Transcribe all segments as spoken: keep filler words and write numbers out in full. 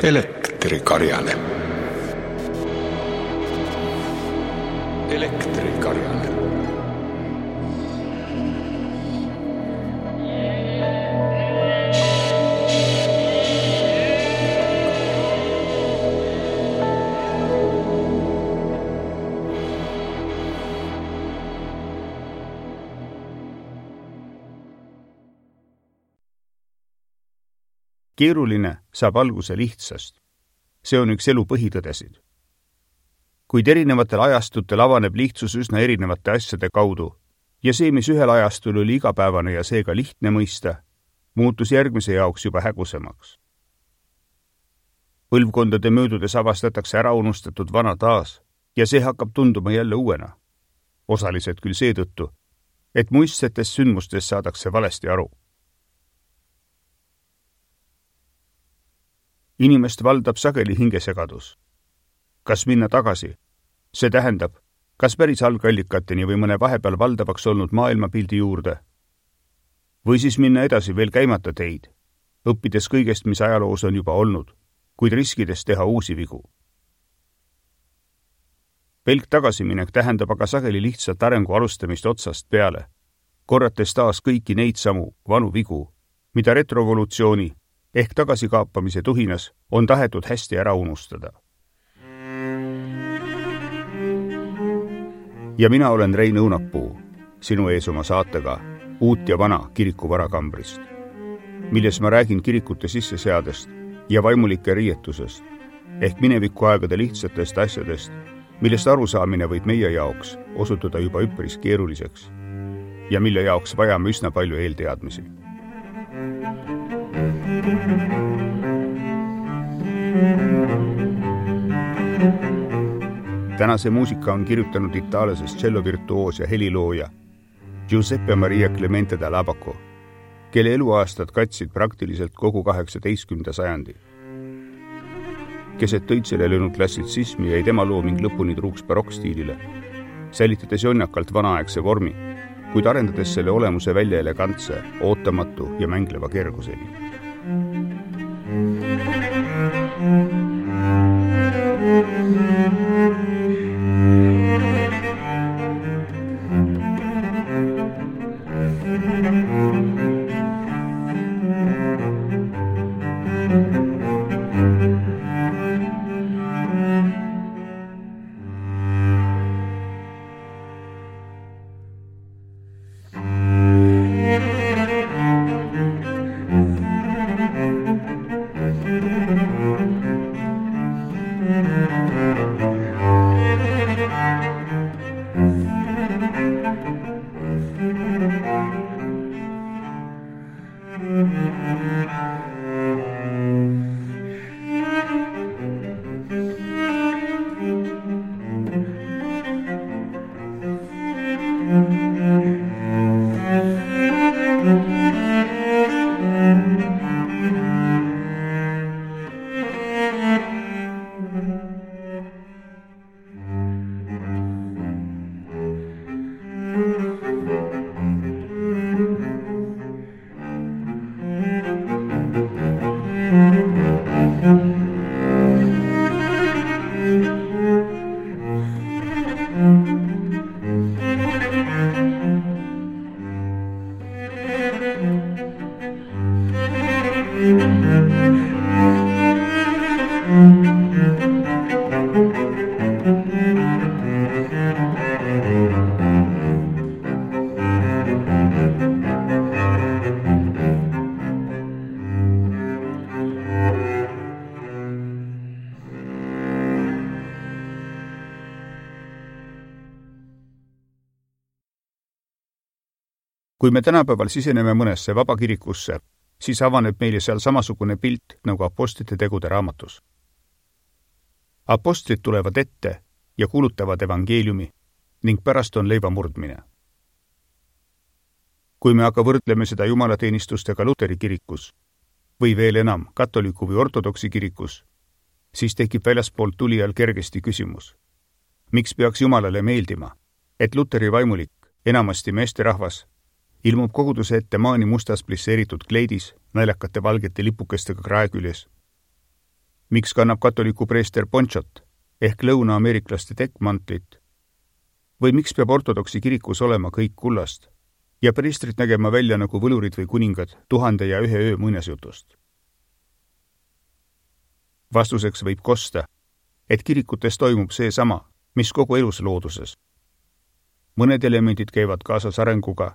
Elektrikarjane. Elektrikarjane. Keeruline saab alguse lihtsast. See on üks elu põhitõdesid. Kuid erinevatel ajastutel avaneb lihtsus üsna erinevate asjade kaudu ja see, mis ühel ajastul oli igapäevane ja seega lihtne mõista, muutus järgmise jaoks juba hägusemaks. Põlvkondade möödudes avastatakse ära unustatud vana taas ja see hakkab tunduma jälle uuena. Osaliselt küll seetõttu, et muistsetest sündmustest saadakse valesti aru. Inimest valdab sageli hingesegadus. Kas minna tagasi? See tähendab, kas päris algallikateni või mõne vahepeal valdavaks olnud maailmapildi juurde? Või siis minna edasi veel käimata teid, õppides kõigest, mis ajaloos on juba olnud, kuid riskides teha uusi vigu. Pelk tagasiminek tähendab aga sageli lihtsalt arengu alustamist otsast peale, korrates taas kõiki neid samu vanu vigu, mida retrovolutsiooni ehk tagasikaapamise tuhinas on tahetud hästi ära unustada. Ja mina olen Rein Õunapuu, sinu ees oma saatega Uut ja vana kiriku varakambrist, milles ma räägin kirikute sisseseadest ja vaimulike riietusest ehk mineviku aegade lihtsatest asjadest, millest arusaamine võib meie jaoks osutuda juba üpris keeruliseks ja mille jaoks vajame üsna palju eelteadmisi. Tänase muusika on kirjutanud itaallasest cellovirtuoos ja helilooja Giuseppe Maria Clemente da Labaco, kelle eluaastad katsid praktiliselt kogu kaheksateistkümnenda sajandi. Keset tõitsele löönud klassitsismi jäi tema looming lõpuni truuks barokkstiilile, säilitades jonnakalt vanaaegse vormi, kuid arendades selle olemuse välja elegantse, ootamatu ja mängleva kerguseni. Kui me tänapäeval siseneme mõnesse vabakirikusse, siis avaneb meile seal samasugune pilt nagu apostlite tegude raamatus. Apostlid tulevad ette ja kuulutavad evangeeliumi ning pärast on leiva murdmine. Kui me aga võrdleme seda jumalateenistustega Luteri kirikus või veel enam katoliku või ortodoksi kirikus, siis tekib väljaspoolt tulijal kergesti küsimus. Miks peaks Jumalale meeldima, et Luteri vaimulik, enamasti meesterahvas, ilmub koguduse ette maani mustas plisseeritud kleidis, naljakate valgete lipukestega krae küljes. Miks kannab katoliku preester ponchot ehk lõuna-ameeriklaste tekkmantlit? Või miks peab ortodoksi kirikus olema kõik kullast ja preestrid nägema välja nagu võlurid või kuningad tuhande ja ühe öö muinasjutust? Vastuseks võib kosta, et kirikutes toimub see sama, mis kogu elus looduses. Mõned elemendid käivad kaasas arenguga,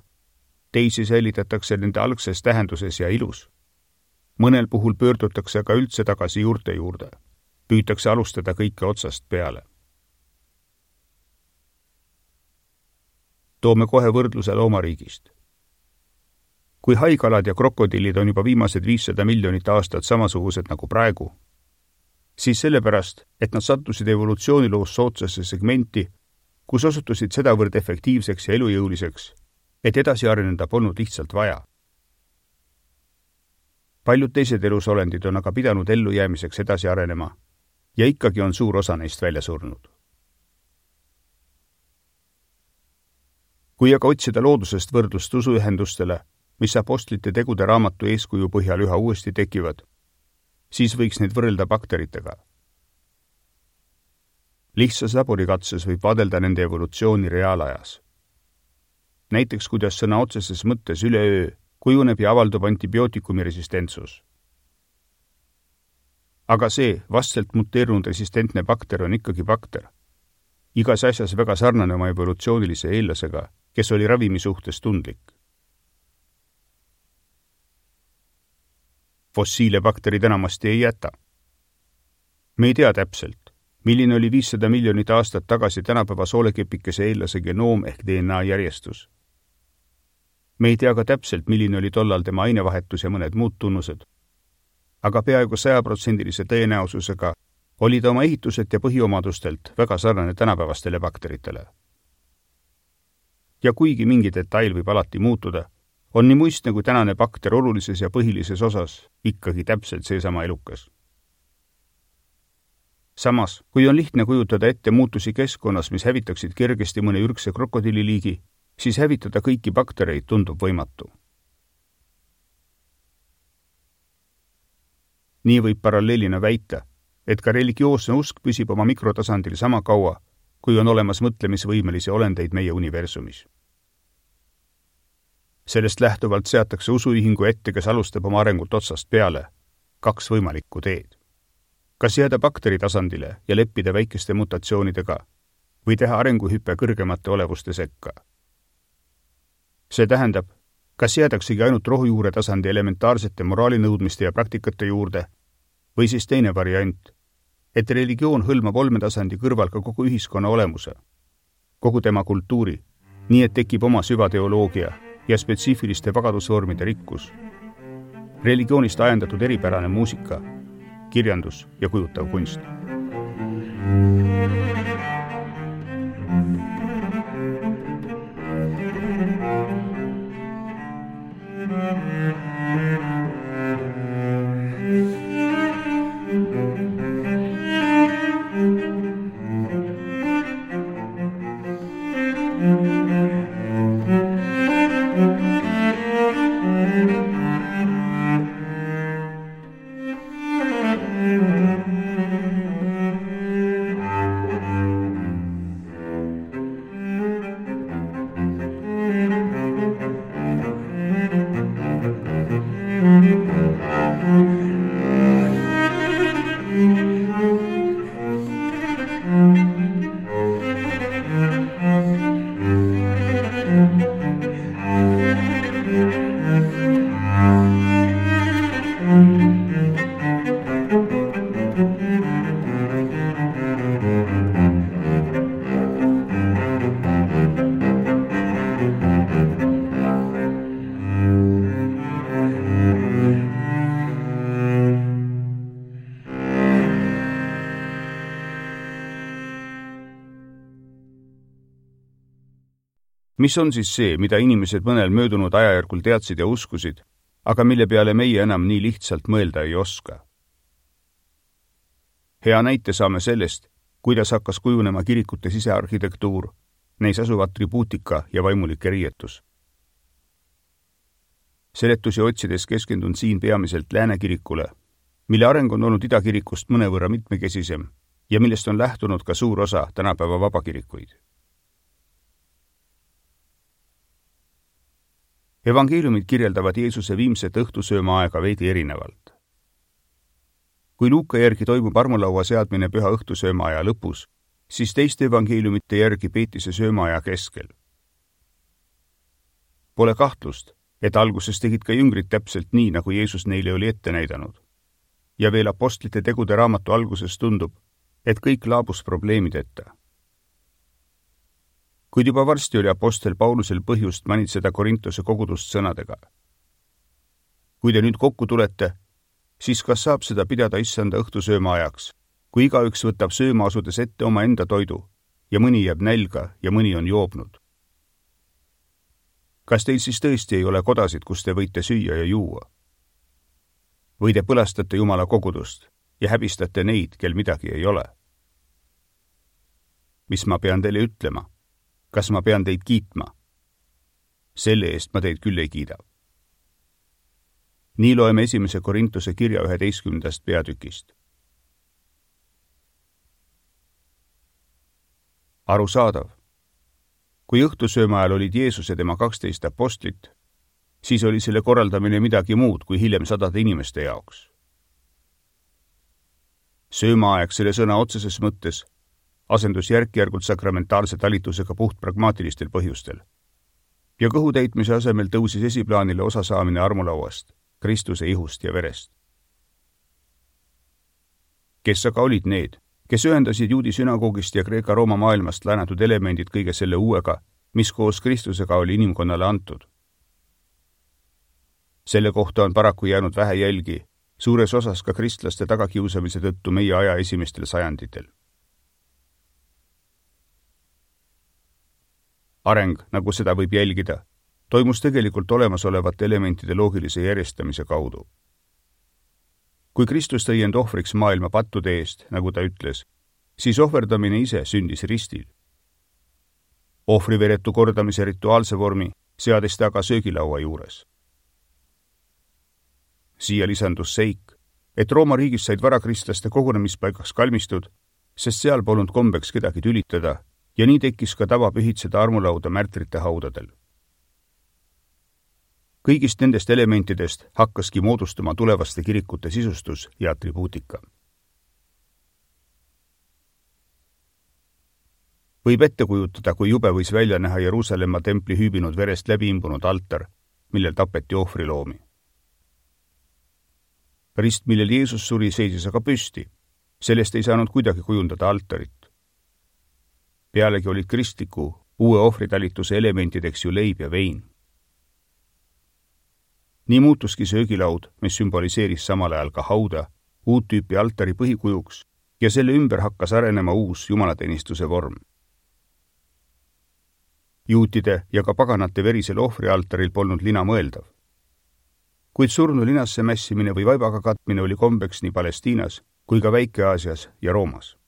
teisi säilitatakse nende algses tähenduses ja ilus. Mõnel puhul pöördutakse ka üldse tagasi juurte juurde. Püütakse alustada kõike otsast peale. Toome kohe võrdluse loomariigist. Kui haigalad ja krokodillid on juba viimased viissada miljonit aastat samasugused nagu praegu, siis sellepärast, et nad sattusid evolutsiooniloos soodsasse segmenti, kus osutusid sedavõrd efektiivseks ja elujõuliseks, et edasi areneda polnud lihtsalt vaja. Paljud teised elusolendid on aga pidanud ellu jäämiseks edasi arenema ja ikkagi on suur osa neist välja surnud. Kui aga otsida loodusest võrdlust usuühendustele, mis apostlite tegude raamatu eeskuju põhjal üha uuesti tekivad, siis võiks neid võrrelda bakteritega. Lihtsas laborikatses võib vaadelda nende evolutsiooni reaalajas. Näiteks, kuidas sõna otseses mõttes üleöö kujuneb ja avaldub antibiootikumi resistentsus. Aga see vastselt muteerunud resistentne bakter on ikkagi bakter. Igas asjas väga sarnane oma evolutsioonilise eellasega, kes oli ravimi suhtes tundlik. Fossiile bakterid enamasti ei jäta. Me ei tea täpselt, milline oli viissada miljonit aastat tagasi tänapäeva soolekepikese eellase genoom ehk D N A järjestus. Me ei tea ka täpselt, milline oli tollal tema ainevahetus ja mõned muud tunnused. Aga peaaegu sajaprotsendilise tõenäosusega oli ta oma ehituselt ja põhiomadustelt väga sarnane tänapäevastele bakteritele. Ja kuigi mingi detail võib alati muutuda, on nii muistne kui tänane bakter olulises ja põhilises osas ikkagi täpselt seesama elukas. Samas, kui on lihtne kujutada ette muutusi keskkonnas, mis hävitaksid kergesti mõne ürgse krokodilliliigi, siis hävitada kõiki baktereid tundub võimatu. Nii võib paralleelina väita, et ka religioosne usk püsib oma mikrotasandil sama kaua, kui on olemas mõtlemisvõimelisi olendeid meie universumis. Sellest lähtuvalt seatakse usuühingu ette, kes alustab oma arengut otsast peale, kaks võimalikku teed. Kas jääda bakteri tasandile ja leppida väikeste mutatsioonidega või teha arenguhüppe kõrgemate olevuste sekka. See tähendab, kas jäädaksegi ainult rohujuure tasandi elementaarsete moraalinõudmiste ja praktikate juurde või siis teine variant, et religioon hõlmab olmetasandi kõrval ka kogu ühiskonna olemuse, kogu tema kultuuri, nii et tekib oma süvateoloogia ja spetsiifiliste vagadusvormide rikkus, religioonist ajendatud eripärane muusika, kirjandus ja kujutav kunst. Mis on siis see, mida inimesed mõnel möödunud ajajärgul teadsid ja uskusid, aga mille peale meie enam nii lihtsalt mõelda ei oska? Hea näite saame sellest, kuidas hakkas kujunema kirikute sisearhitektuur, neis asuv atribuutika ja vaimulike riietus. seletusi otsides keskendun siin peamiselt Lääne kirikule, mille areng on olnud idakirikust mõnevõrra mitmekesisem ja millest on lähtunud ka suur osa tänapäeva vabakirikuid. Evangeeliumid kirjeldavad Jeesuse viimset õhtusööma aega veidi erinevalt. Kui Luuka järgi toimub armulaua seadmine püha õhtusööma aja lõpus, siis teiste evangeeliumite järgi peeti see söömaaja keskel. Pole kahtlust, et alguses tegid ka jüngrid täpselt nii, nagu Jeesus neile oli ette näidanud. Ja veel apostlite tegude raamatu alguses tundub, et kõik laabus probleemideta. Kuid juba varsti oli apostel Paulusel põhjust manitseda Korintuse kogudust sõnadega. Kui te nüüd kokku tulete, siis kas saab seda pidada issanda õhtusööma ajaks, kui igaüks võtab sööma asudes ette oma enda toidu ja mõni jääb nälga ja mõni on joobnud? Kas teil siis tõesti ei ole kodasid, kus te võite süüa ja juua? Või te põlastate Jumala kogudust ja häbistate neid, kel midagi ei ole? Mis ma pean teile ütlema? Kas ma pean teid kiitma? Selle eest ma teid küll ei kiida. Nii loeme esimese Korintuse kirja üheteistkümnendast peatükist. Arusaadav. Kui õhtusööma ajal olid Jeesus ja tema kaksteist apostlit, siis oli selle korraldamine midagi muud kui hiljem sadade inimeste jaoks. Söömaaeg selle sõna otseses mõttes asendus järk-järgult sakramentaalse talitusega puht pragmaatilistel põhjustel. Ja kõhutäitmise asemel tõusis esiplaanile osasaamine armulauast, Kristuse ihust ja verest. Kes aga olid need, kes ühendasid juudi sünagoogist ja Kreeka-Rooma maailmast läänatud elemendid kõige selle uuega, mis koos Kristusega oli inimkonnale antud? Selle kohta on paraku jäänud vähe jälgi, suures osas ka kristlaste tagakiusamise tõttu meie aja esimestel sajanditel. Areng, nagu seda võib jälgida, toimus tegelikult olemasolevate elementide loogilise järjestamise kaudu. Kui Kristus tõi end ohvriks maailma pattude eest, nagu ta ütles, siis ohverdamine ise sündis ristil. Ohvriveretu kordamise rituaalse vormi seadis ta aga söögilaua juures. Siia lisandus seik, et Rooma riigis said varakristlaste kogunemispaigaks kalmistud, sest seal polnud kombeks kedagi tülitada ja nii tekkis ka tava pühitseda armulauda märtrite haudadel. Kõigist nendest elementidest hakkaski moodustuma tulevaste kirikute sisustus ja atribuutika. Võib ette kujutada, kui jube võis välja näha Jeruusalemma templi hüübinud verest läbi imbunud altar, millel tapeti ohvriloomi. Rist, millel Jeesus suri, seisis aga püsti. Sellest ei saanud kuidagi kujundada altarit. Pealegi olid kristliku, uue ohvritalituse elementideks ju leib ja vein. Nii muutuski söögilaud, mis sümboliseeris samal ajal ka hauda, uut tüüpi altari põhikujuks ja selle ümber hakkas arenema uus jumalateenistuse vorm. Juutide ja ka paganate verisel ohvrialtaril polnud lina mõeldav. Kuid surnu linasse mässimine või vaibaga katmine oli kombeks nii Palestiinas kui ka Väike-Aasias ja Roomas.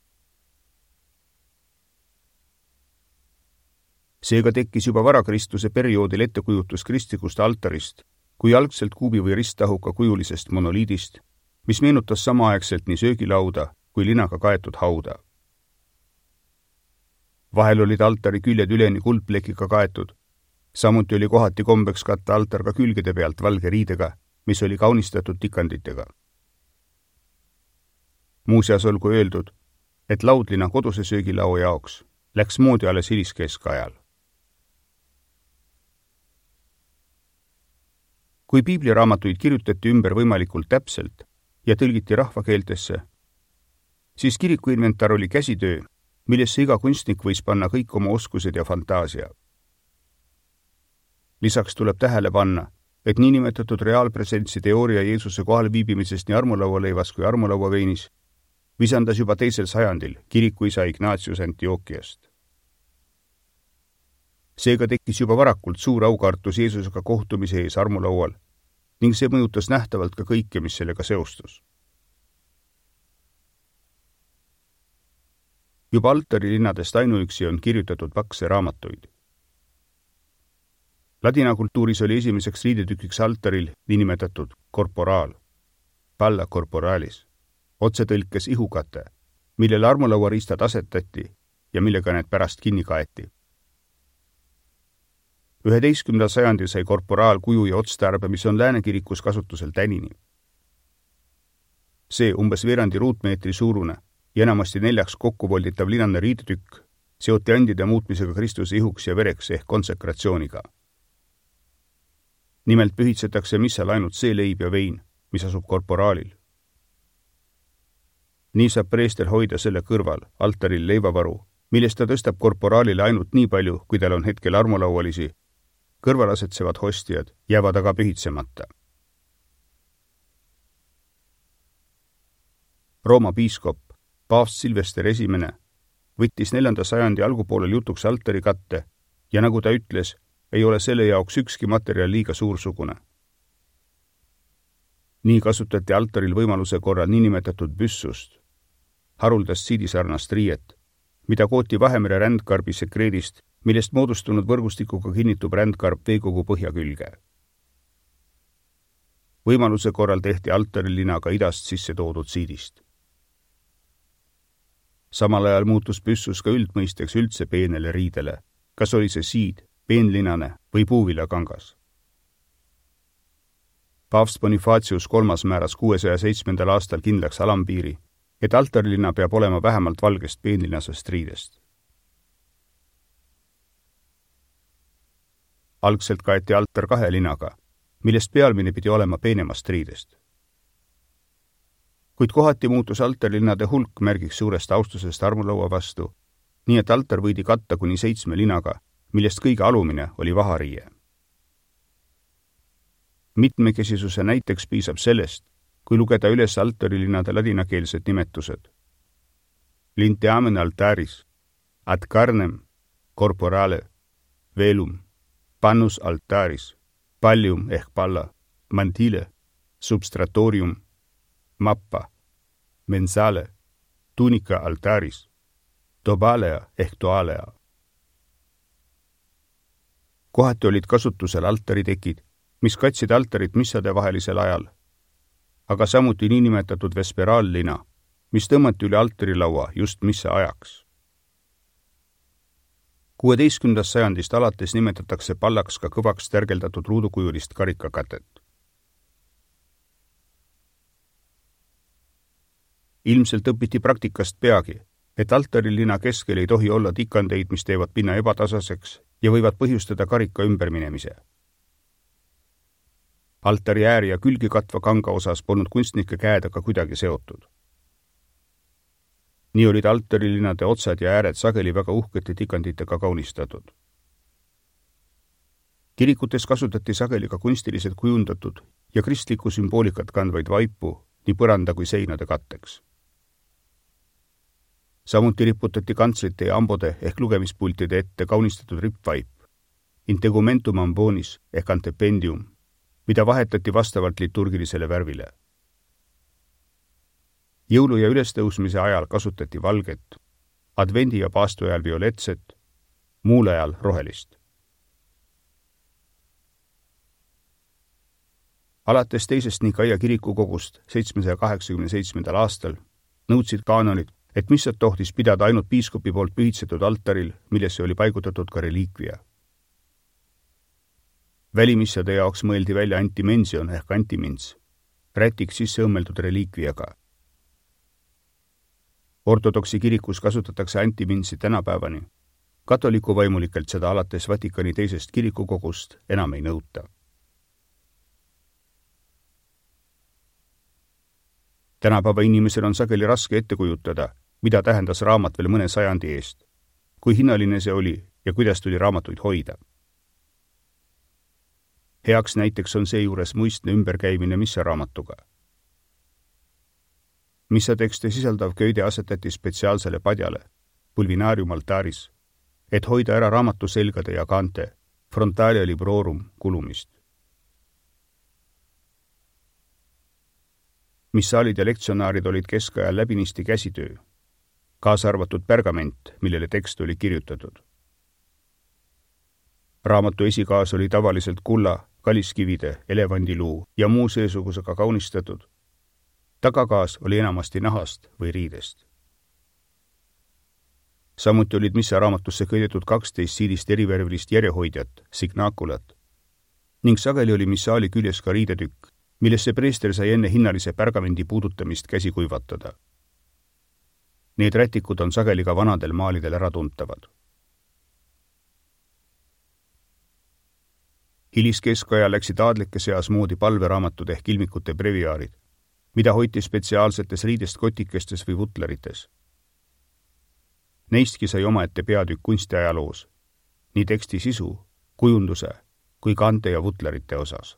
Seega tekkis juba varakristuse perioodil ettekujutus kristlikust altarist kui algselt kuubi või risttahuka kujulisest monoliidist, mis meenutas samaaegselt nii söögilauda kui linaga kaetud hauda. Vahel olid altari küljed üleni kuldplekiga kaetud, samuti oli kohati kombeks katta altar ka külgede pealt valge riidega, mis oli kaunistatud tikanditega. Muuseas olgu öeldud, et laudlina koduse söögilao jaoks läks moodi alles hiliskeskajal. Kui piibliraamatuid kirjutati ümber võimalikult täpselt ja tõlgiti rahvakeeltesse, siis kirikuinventar oli käsitöö, millesse iga kunstnik võis panna kõik oma oskused ja fantaasia. Lisaks tuleb tähele panna, et niinimetatud reaalpresentsi teooria Jeesuse kohal viibimisest nii armulaualeivas kui armulauaveinis visandas juba teisel sajandil kirikuisa Ignatius Antiookiast. Seega tekkis juba varakult suur aukartus Jeesusega kohtumise ees armulaual ning see mõjutas nähtavalt ka kõike, mis sellega seostus. Juba altari linnadest ainuüksi on kirjutatud pakse raamatuid. Ladina kultuuris oli esimeseks riidetükiks altaril niinimetatud korporaal, palla corporalis, otsetõlkes ihukate, millele armulauariistad asetati ja millega need pärast kinni kaeti. üheteistkümnendal sajandil sai korporaal kuju ja otstarbe, mis on lääne kirikus kasutusel tänini. See umbes veerandi ruutmeetri suurune ja enamasti neljaks kokku volditav linane riidetükk seoti andide muutmisega Kristuse ihuks ja vereks ehk konsekratsiooniga. Nimelt pühitsetakse missal ainult see leib ja vein, mis asub korporaalil. Nii saab preester hoida selle kõrval altaril leivavaru, millest ta tõstab korporaalile ainult nii palju, kui tal on hetkel armulaualisi. Kõrvalasetsevad hostiad jäävad aga pühitsemata. Rooma piiskop, paavst Silvester esimene, võttis neljanda sajandi algupoolel jutuks altari katte ja nagu ta ütles, ei ole selle jaoks ükski materjal liiga suursugune. Nii kasutati altaril võimaluse korral niinimetatud büssust, haruldast siidisarnast riiet, mida kooti Vahemere rändkarbi sekreedist, millest moodustunud võrgustikuga kinnitub rändkarb veekogu põhja külge. Võimaluse korral tehti altarilina ka idast sisse toodud siidist. Samal ajal muutus püssus ka üldmõisteks üldse peenele riidele, kas oli see siid, peenlinane või puuvilakangas. Paavst Bonifacius kolmas määras kuuesaja seitsmendal aastal kindlaks alampiiri, et altarilina peab olema vähemalt valgest peenlinasest riidest. Algselt kaeti altar kahe linaga, millest pealmine pidi olema peenemast riidest. Kuid kohati muutus altarlinade hulk märgiks suurest austusest armulaua vastu, nii et altar võidi katta kuni seitsme linaga, millest kõige alumine oli vahariie. Mitmekesisuse näiteks piisab sellest, kui lugeda üles altarilinade ladinakeelsed nimetused. Linteamen altaris, ad carnem, corporale, velum, pannus altaris, pallium ehk palla, mantile, substratorium, mappa, mensale, tunica altaris, tobalea ehk toalea. Kohati olid kasutusel altaritekid, mis katsid altarit missade vahelisel ajal, aga samuti niinimetatud vesperaallina, mis tõmmati üle altarilaua just missa ajaks. kuueteistkümnendast sajandist alates nimetatakse pallaks ka kõvaks tärgeldatud ruudukujulist karikakatet. Ilmselt õpiti praktikast peagi, et altarilina keskel ei tohi olla tikandeid, mis teevad pinna ebatasaseks ja võivad põhjustada karika ümberminemise. Altari ääri ja külgi katva kanga osas polnud kunstnike käed aga kuidagi seotud. Nii olid altarilinade otsad ja ääred sageli väga uhkete tikanditega kaunistatud. Kirikutes kasutati sageli ka kunstiliselt kujundatud ja kristlikku sümboolikat kandvaid vaipu nii põranda kui seinade katteks. Samuti riputati kantslite ja ambode ehk lugemispultide ette kaunistatud rippvaip, integumentum ambonis ehk antependium, mida vahetati vastavalt liturgilisele värvile. Jõulu- ja ülestõusmise ajal kasutati valget, advendi- ja paastu ajal violetset, muul ajal rohelist. Alates teisest Nikaia kirikukogust seitsmesaja kaheksakümne seitsmendal aastal nõudsid kaanonid, et missat tohtis pidada ainult piiskopi poolt pühitsetud altaril, millesse oli paigutatud ka reliikvia. Välimissade jaoks mõeldi välja antimension ehk antimins, rätik sisse õmmeldud reliikviaga. Ortodoksi kirikus kasutatakse antiminsi tänapäevani. Katoliku vaimulikelt seda alates Vatikani teisest kirikukogust enam ei nõuta. Tänapäeva inimesel on sageli raske ette kujutada, mida tähendas raamat veel mõne sajandi eest, kui hinnaline see oli ja kuidas tuli raamatuid hoida. Heaks näiteks on seejuures muistne ümberkäimine missaraamatuga. Missatekste sisaldav köide asetati spetsiaalsele padjale, pulvinarium altaris, et hoida ära raamatu selgade ja kaante, frontalia librorum kulumist. Missaalid ja lektsjonaarid olid keskajal läbinisti käsitöö, kaasa arvatud pergament, millele tekst oli kirjutatud. raamatu esikaas oli tavaliselt kulla, kaliskivide, elevandiluu ja muu seesugusega kaunistatud. Tagakaas oli enamasti nahast või riidest. Samuti olid missa raamatusse kõidetud kaksteist siilist erivärvilist järjehoidjat, signaakulat, ning sageli oli missaali küljes ka riidetükk, millesse preester sai enne hinnalise pärgamendi puudutamist käsi kuivatada. Need rätikud on sageli ka vanadel maalidel ära tuntavad. Hiliskeskaja läksid aadlike seas moodi palveraamatud ehk ilmikute breviaarid, mida hoiti spetsiaalsetes riidest kotikestes või vutlerites. Neistki sai omaette peatükk kunstiajaloos, nii teksti sisu, kujunduse kui kante ja vutlerite osas.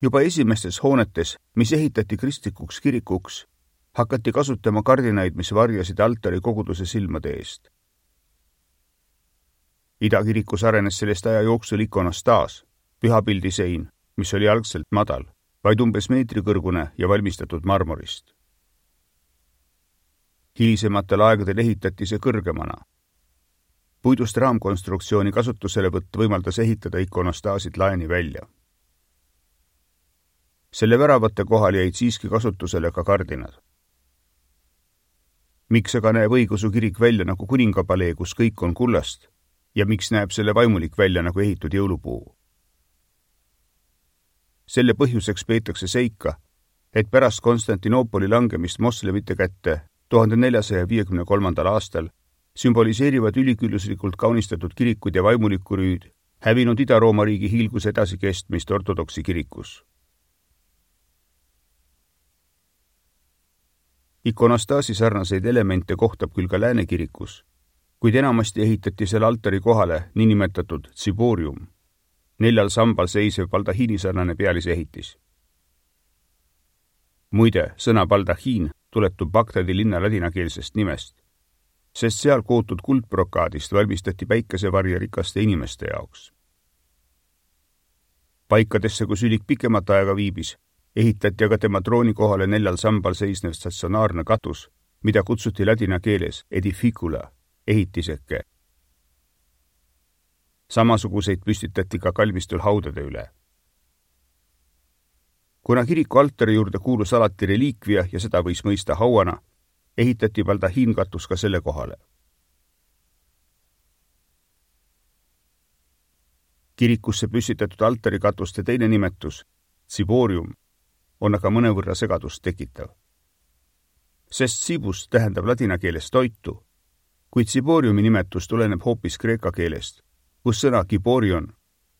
Juba esimestes hoonetes, mis ehitati kristlikuks kirikuks, hakati kasutama kardinaid, mis varjasid altari koguduse silmade eest. Idakirikus arenes sellest aja jooksul ikonostaas, pühapildisein, mis oli algselt madal, vaid umbes meetri kõrgune ja valmistatud marmorist. Hilisematel aegadel ehitati see kõrgemana. Puidust raamkonstruktsiooni kasutuselevõtt võimaldas ehitada ikonostaasid laeni välja. Selle väravate kohal jäid siiski kasutusele ka kardinad. Miks aga näeb õigeusu kirik välja nagu kuningapalee, kus kõik on kullast, ja miks näeb selle vaimulik välja nagu ehitud jõulupuu? Selle põhjuseks peetakse seika, et pärast Konstantinoopoli langemist moslemite kätte tuhande neljasaja viiekümne kolmandal aastal sümboliseerivad ülikülluslikult kaunistatud kirikud ja vaimuliku rüüd hävinud Ida-Rooma riigi hiilguse edasikestmist ortodoksi kirikus. Ikonostaasi sarnaseid elemente kohtab küll ka Lääne kirikus, kuid enamasti ehitati selle altari kohale niinimetatud tsiborium, neljal sambal seisev baldahiini sarnane pealisehitis. Muide, sõna baldahiin tuletub Bagdadi linna ladinakeelsest nimest, sest seal kootud kuldbrokaadist valmistati päikesevarje rikaste inimeste jaoks. Paikadesse, kus ülik pikemat aega viibis, ehitati aga tema trooni kohale neljal sambal seisnev statsionaarne katus, mida kutsuti ladina keeles edificula, ehitiseke. Samasuguseid püstitati ka kalmistul haudade üle. Kuna kiriku altari juurde kuulus alati reliikvia ja seda võis mõista hauana, ehitati baldahiinkatus ka selle kohale. Kirikusse püstitatud altarikatuste teine nimetus, tsiborium, on aga mõnevõrra segadust tekitav. Sest tsibus tähendab ladina keeles toitu, kuid tsiboriumi nimetus tuleneb hoopis kreeka keelest, kus sõna kiborion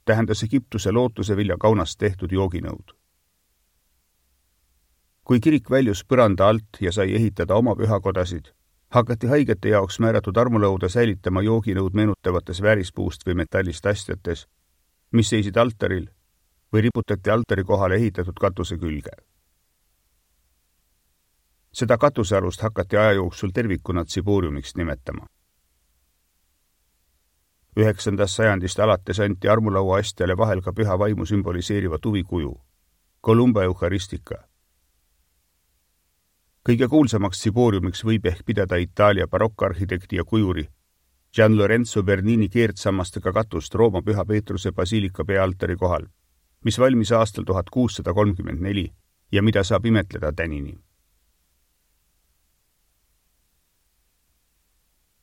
tähendas Egiptuse lootuse vilja kaunast tehtud jooginõud. Kui kirik väljus põranda alt ja sai ehitada oma pühakodasid, hakati haigete jaoks määratud armulauda säilitama jooginõud meenutavates väärispuust või metallist astjates, mis seisid altaril või riputati altari kohale ehitatud katuse külge. Seda katusealust hakati aja jooksul tervikuna tsiboriumiks nimetama. Üheksandast sajandist alates anti armulaua astjale vahel ka püha vaimu sümboliseeriva tuvikuju, Columba Eucharistica. Kõige kuulsamaks tsiboriumiks võib ehk pidada Itaalia barokkarhitekti ja kujuri Gian Lorenzo Bernini keerdsammastega katust Rooma Püha Peetruse basiilika peaaltari kohal, mis valmis aastal tuhat kuussada kolmkümmend neli ja mida saab imetleda tänini.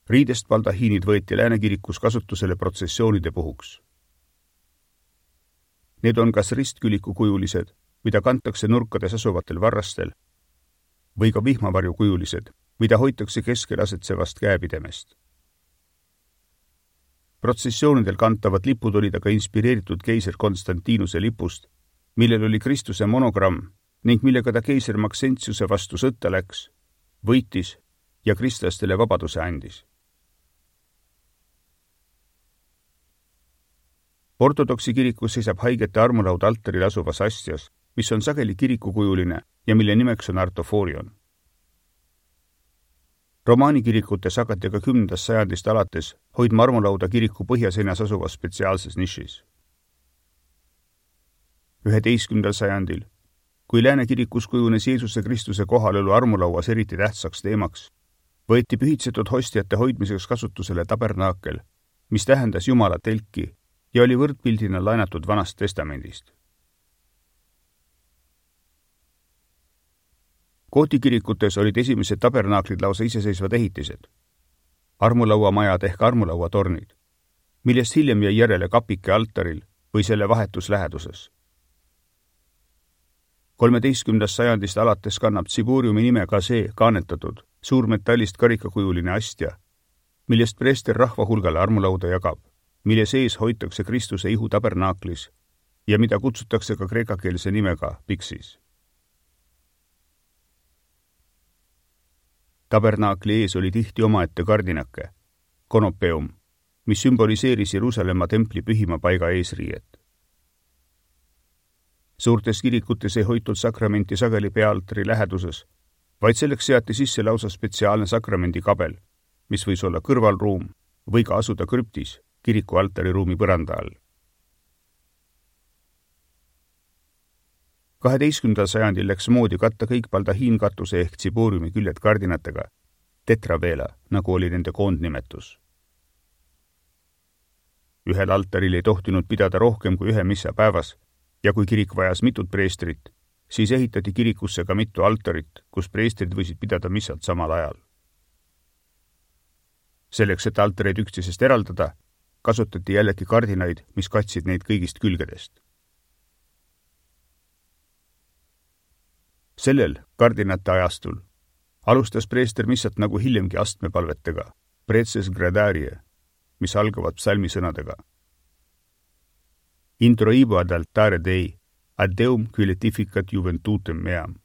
Riidest baldahiinid võeti Lääne kirikus kasutusele protsessioonide puhuks. Need on kas ristküliku kujulised, mida kantakse nurkades asuvatel varrastel, või ka vihmavarju kujulised, mida hoitakse keskel asetsevast käepidemest. Protsessioonidel kantavad lipud olid aga inspireeritud keiser Konstantinuse lipust, millel oli Kristuse monogramm ning millega ta keiser Maxentiuse vastu sõtta läks, võitis ja kristlastele vabaduse andis. Ortodoksi kirikus seisab haigete armulaud altaril asuvas astjas, mis on sageli kirikukujuline ja mille nimeks on artoforion. Romaani kirikutes hakati aga kümnendast sajandist alates hoidma armulauda kiriku põhjaseinas asuvas spetsiaalses nišis. üheteistkümnendal sajandil, kui Lääne kirikus kujunes Jeesuse Kristuse kohalolu armulauas eriti tähtsaks teemaks, võeti pühitsetud hostiate hoidmiseks kasutusele tabernaakel, mis tähendas Jumala telki ja oli võrdpildina laenatud Vanast testamendist. Kooti kirikutes olid esimesed tabernaaklid lausa iseseisvad ehitised, armulauamajad ehk armulauatornid, millest hiljem jäi järele kapike altaril või selle vahetus läheduses. kolmeteistkümnendast sajandist alates kannab tsiboriumi nime ka see kaanetatud suurmetallist karikakujuline astja, millest preester rahva hulgale armulauda jagab, mille sees hoitakse Kristuse ihu tabernaaklis ja mida kutsutakse ka kreekakeelse nimega Pixis. Tabernaakli ees oli tihti omaette kardinake, konopeum, mis sümboliseeris Jeruusalemma templi pühima paiga eesriiet. Suurtes kirikutes ei hoitud sakramenti sageli peaaltari läheduses, vaid selleks seati sisse lausa spetsiaalne sakramendikabel, mis võis olla kõrvalruum või ka asuda krüptis kiriku altariruumi põranda all. kaheteistkümnendal sajandil läks moodi katta kõik baldahiinkatuse ehk tsibooriumi küljed kardinatega, tetraveela, nagu oli nende koondnimetus. Ühel altaril ei tohtinud pidada rohkem kui ühe missa päevas ja kui kirik vajas mitut preestrit, siis ehitati kirikusse ka mitu altarit, kus preestrid võisid pidada missat samal ajal. Selleks, et altareid üksteisest eraldada, kasutati jällegi kardinaid, mis katsid neid kõigist külgedest. Sellel kardinate ajastul alustas preester missat nagu hiljemgi astmepalvetega, preces gradarie, mis algavad psalmisõnadega. Introibo ad altare Dei, ad Deum quiletificat juventutem meam.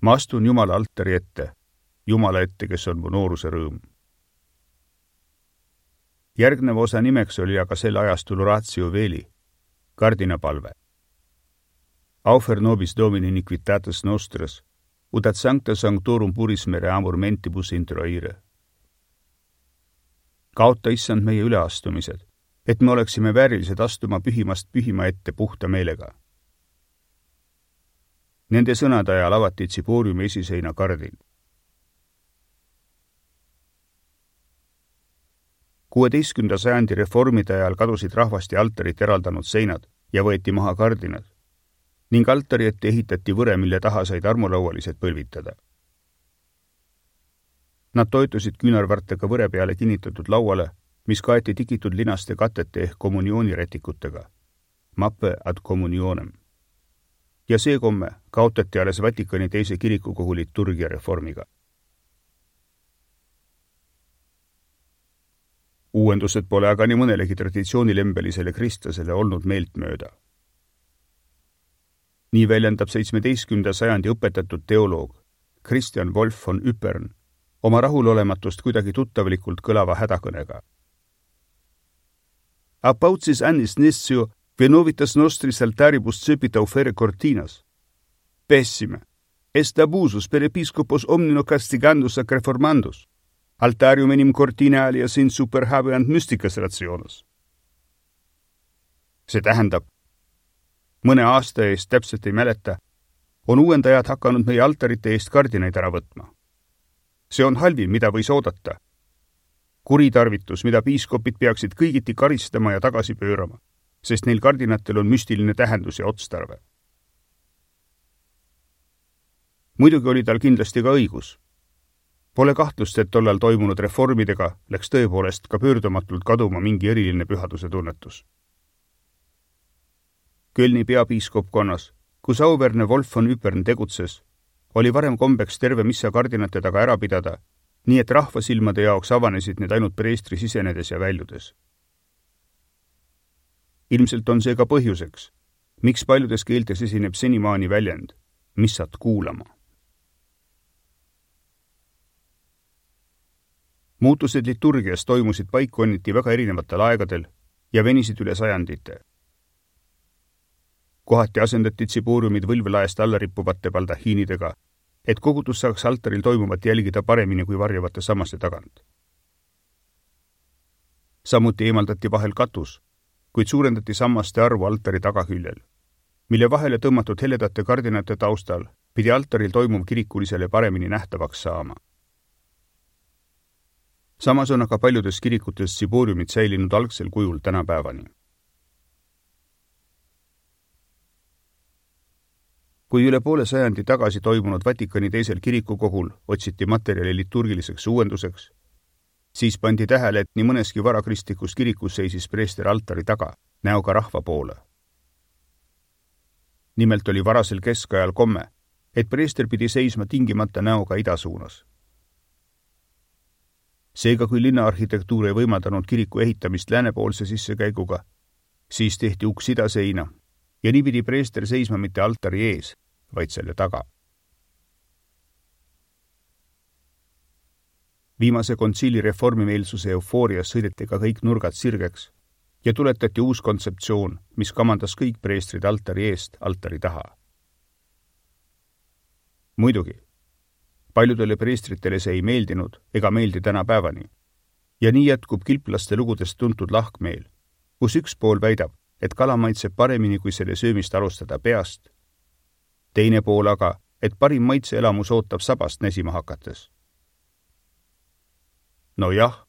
Ma astun Jumala altari ette, Jumala ette, kes on mu nooruse rõõm. Järgneva osa nimeks oli aga selle ajastul Oratio Veli, kardinapalve. Aufer nobis domini iniquitatis nostras, ut ad sancta sanctorum puris mere amor mentibus introire. Kaota issand meie üleastumised, et me oleksime väärilised astuma pühimast pühima ette puhta meelega. Nende sõnade ajal avati tsibooriumi esiseina kardin. kuueteistkümnenda sajandi reformide ajal kadusid rahvast ja altarit eraldanud seinad ja võeti maha kardinad ning altari ette ehitati võre, mille taha said armulaualised põlvitada. Nad toitusid küünarvartega võre peale kinnitatud lauale, mis kaeti tikitud linaste katete ehk kommuniooniretikutega, mappe ad communionem. Ja see komme kaotati alles Vatikani teise kirikukogu liturgia reformiga. Uuendused pole aga nii mõnelegi traditsioonilembelisele kristlasele olnud meeltmööda. Nii väljendab seitsmeteistkümnenda sajandi õpetatud teoloog Christian Wolf von Ypern oma rahulolematust kuidagi tuttavlikult kõlava hädakõnega. Apaucis annis nessio venovitas nostris altaribus cepita ofere cortinas. Pessime, est abusus per episcopos omnino castigandus ac reformandus. Altarium enim cortina alias in super habeant mysticas rationes. See tähendab, mõne aasta eest täpselt ei mäleta, on uuendajad hakanud meie altarite eest kardinaid ära võtma. See on halvim, mida võis oodata. Kuritarvitus, mida piiskopid peaksid kõigiti karistama ja tagasi pöörama, sest neil kardinatel on müstiline tähendus ja otstarve. Muidugi oli tal kindlasti ka õigus. Pole kahtlust, et tollal toimunud reformidega läks tõepoolest ka pöördumatult kaduma mingi eriline pühaduse tunnetus. Kölni peapiiskopkonnas, kus auverne Wolf von Ypern tegutses, oli varem kombeks terve missa kardinate taga ära pidada, nii et rahvasilmade jaoks avanesid need ainult preestri sisenedes ja väljudes. Ilmselt on see ka põhjuseks, miks paljudes keeltes esineb senimaani väljend missat kuulama. Muutused liturgias toimusid paikkonniti väga erinevatel aegadel ja venisid üle sajandite. Kohati asendati tsibooriumid võlvelaest alla rippuvate baldahiinidega, et kogudus saaks altaril toimuvat jälgida paremini kui varjavate sammaste tagant. Samuti eemaldati vahel katus, kuid suurendati sammaste arvu altari tagaküljel, mille vahele tõmmatud heledate kardinate taustal pidi altaril toimuv kirikulisele paremini nähtavaks saama. Samas on aga paljudes kirikutes tsibooriumid säilinud algsel kujul tänapäevani. Kui üle poole sajandi tagasi toimunud Vatikani teisel kirikukogul otsiti materjali liturgiliseks uuenduseks, siis pandi tähele, et nii mõneski varakristlikus kirikus seisis preester altari taga, näoga rahva poole. Nimelt oli varasel keskajal komme, et preester pidi seisma tingimata näoga idasuunas. Seega, kui linnaarhitektuur ei võimaldanud kiriku ehitamist läänepoolse sissekäiguga, siis tehti uks idaseina ja nii pidi preester seisma mitte altari ees, vaid selle taga. Viimase kontsiili reformimeelsuse eufoorias sõideti ka kõik nurgad sirgeks ja tuletati uus kontseptsioon, mis kamandas kõik preestrid altari eest altari taha. Muidugi, paljudele preestritele see ei meeldinud ega meeldi tänapäevani. Ja nii jätkub kilplaste lugudest tuntud lahkmeel, kus üks pool väidab, et kala maitseb paremini, kui selle söömist alustada peast. Teine pool aga, et parim maitseelamus ootab sabast näsima hakates. No jah,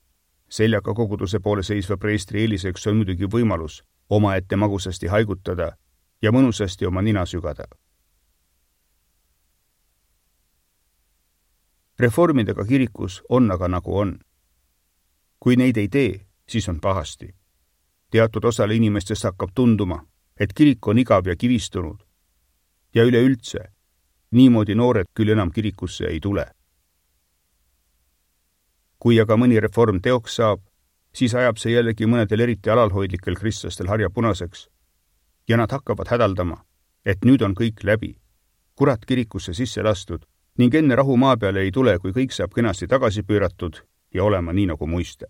seljaga koguduse poole seisva preestri eeliseks on muidugi võimalus omaette magusasti haigutada ja mõnusasti oma nina sügada. Reformidega kirikus on aga nagu on. Kui neid ei tee, siis on pahasti. Teatud osale inimestest hakkab tunduma, et kirik on igav ja kivistunud. Ja üleüldse, niimoodi noored küll enam kirikusse ei tule. Kui aga mõni reform teoks saab, siis ajab see jällegi mõnedel eriti alalhoidlikel kristlastel harja punaseks ja nad hakkavad hädaldama, et nüüd on kõik läbi, kurat kirikusse sisse lastud ning enne rahu maa peale ei tule, kui kõik saab kenasti tagasi pööratud ja olema nii nagu muiste.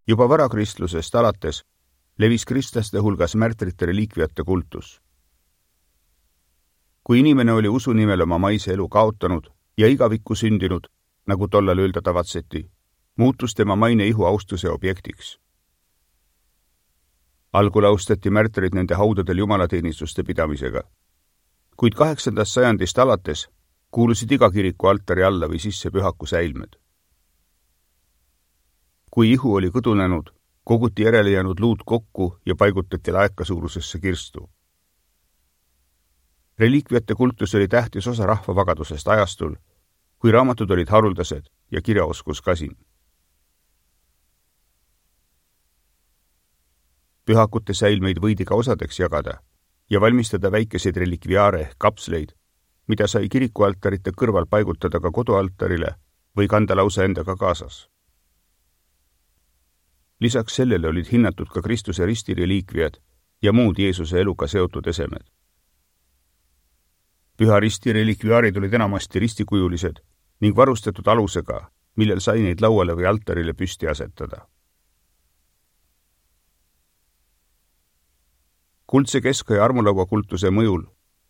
Juba varakristlusest alates levis kristlaste hulgas märtrite reliikviate kultus. Kui inimene oli usu nimel oma maise elu kaotanud ja igavikku sündinud, nagu tollal öelda tavatseti, muutus tema maine ihu austuse objektiks. Algul austati märtrid nende haudadel jumalateenistuste pidamisega, kuid kaheksandast sajandist alates kuulusid iga kiriku altari alla või sisse pühaku säilmed. Kui ihu oli kõdunenud, koguti järele jäänud luud kokku ja paigutati laeka suurusesse kirstu. Reliikviate kultus oli tähtis osa rahvavagadusest ajastul, kui raamatud olid haruldased ja kirjaoskus kasin. Pühakute säilmeid võidi ka osadeks jagada ja valmistada väikeseid relikviaare ehk kapsleid, mida sai kirikualtarite kõrval paigutada ka kodualtarile või kanda lausa endaga kaasas. Lisaks sellele olid hinnatud ka Kristuse ristireliikviad ja muud Jeesuse eluga seotud esemed. Püha risti relikviaarid olid enamasti ristikujulised ning varustatud alusega, millel sai neid lauale või altarile püsti asetada. Kuldse keskaja armulaua kultuse mõjul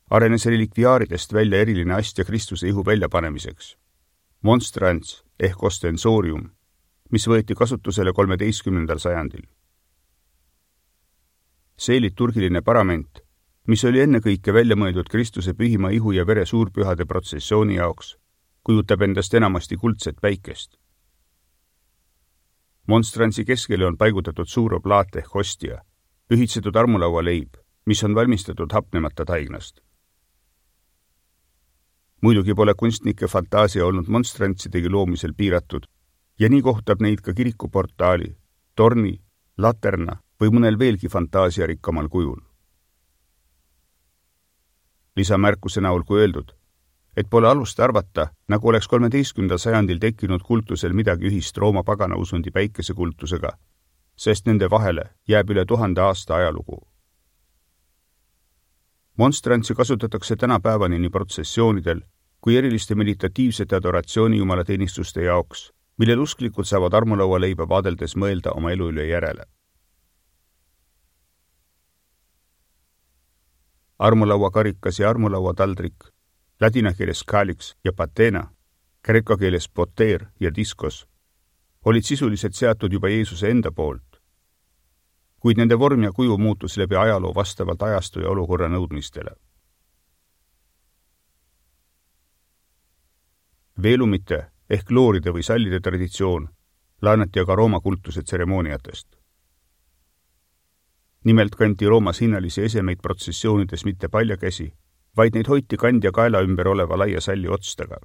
arenes relikviaaridest välja eriline astja Kristuse ihu väljapanemiseks. Monstrants ehk ostensorium, mis võeti kasutusele kolmeteistkümnendal sajandil. See liturgiline parament, mis oli ennekõike välja mõeldud Kristuse pühima ihu ja vere suurpühade protsessiooni jaoks, kujutab endast enamasti kuldset päikest. Monstrantsi keskele on paigutatud suur oblaat ehk hostia, pühitsetud armulaua leib, mis on valmistatud hapnemata taignast. Muidugi pole kunstnike fantaasia olnud monstrantsidegi loomisel piiratud, ja nii kohtab neid ka kirikuportaali, torni, laterna või mõnel veelgi fantaasiarikkamal kujul. Lisamärkuse näol kui öeldud, et pole alust arvata, nagu oleks kolmeteistkümnendal sajandil tekkinud kultusel midagi ühist Rooma pagana usundi päikesekultusega, sest nende vahele jääb üle tuhande aasta ajalugu. Monstrantsi kasutatakse tänapäevani nii protsessioonidel kui eriliste meditatiivsete adoratsiooni jumalateenistuste jaoks millel usklikud saavad armulaua leiba vaadeldes mõelda oma elu üle järele. Armulaua karikas ja armulaua taldrik, ladina keeles kalix ja patena, kreeka keeles poter ja diskos, olid sisuliselt seatud juba Jeesuse enda poolt, kuid nende vorm ja kuju muutus läbi ajaloo vastavalt ajastu ja olukorra nõudmistele. Veelumite ehk looride või sallide traditsioon laenati aga Rooma kultuse tseremooniatest. Nimelt kanti Roomas hinnalisi esemeid protsessioonides mitte paljakäsi, vaid neid hoiti kandja kaela ümber oleva laia salli otstega.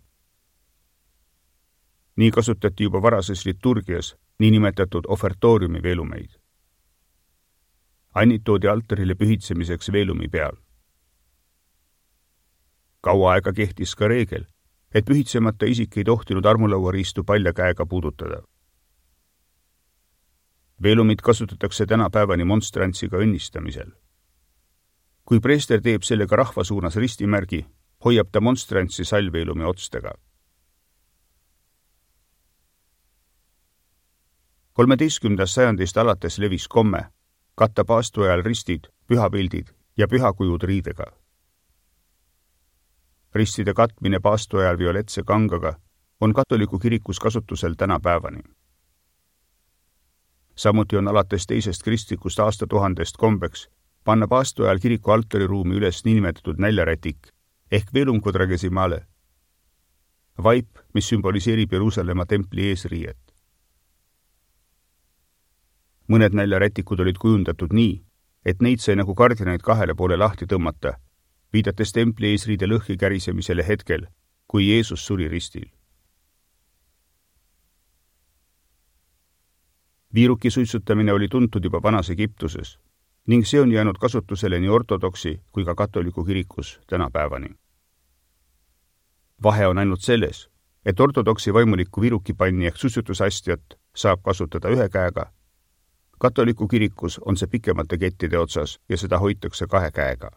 Nii kasutati juba varases liturgias niinimetatud ofertooriumi veelumeid. Annid toodi altarile pühitsemiseks veelumi peal. Kaua aega kehtis ka reegel, et pühitsemata isik ei tohtinud armulauariistu palja käega puudutada. Veelumit kasutatakse tänapäevani monstrantsiga õnnistamisel. Kui preester teeb sellega rahva suunas ristimärgi, hoiab ta monstrantsi sallveelumi otstega. kolmeteistkümnendast sajandist alates levis komme katta paastu ajal ristid, pühapildid ja pühakujud riidega. Ristide katmine paastu ajal violetse kangaga on katoliku kirikus kasutusel tänapäevani. Samuti on alates teisest kristlikust aastatuhandest kombeks panna paastu ajal kiriku altariruumi üles niinimetatud näljarätik ehk velum quadragesimale, vaip, mis sümboliseerib Jeruusalemma templi eesriiet. Mõned näljarätikud olid kujundatud nii, et neid sai nagu kardinaid kahele poole lahti tõmmata, viidates templi eesriide lõhki kärisemisele hetkel, kui Jeesus suri ristil. Viiruki suitsutamine oli tuntud juba vanas Egiptuses ning see on jäänud kasutusele nii ortodoksi kui ka katoliku kirikus tänapäevani. Vahe on ainult selles, et ortodoksi vaimuliku viirukipanni ehk suitsutusastjat saab kasutada ühe käega, katoliku kirikus on see pikemate kettide otsas ja seda hoitakse kahe käega.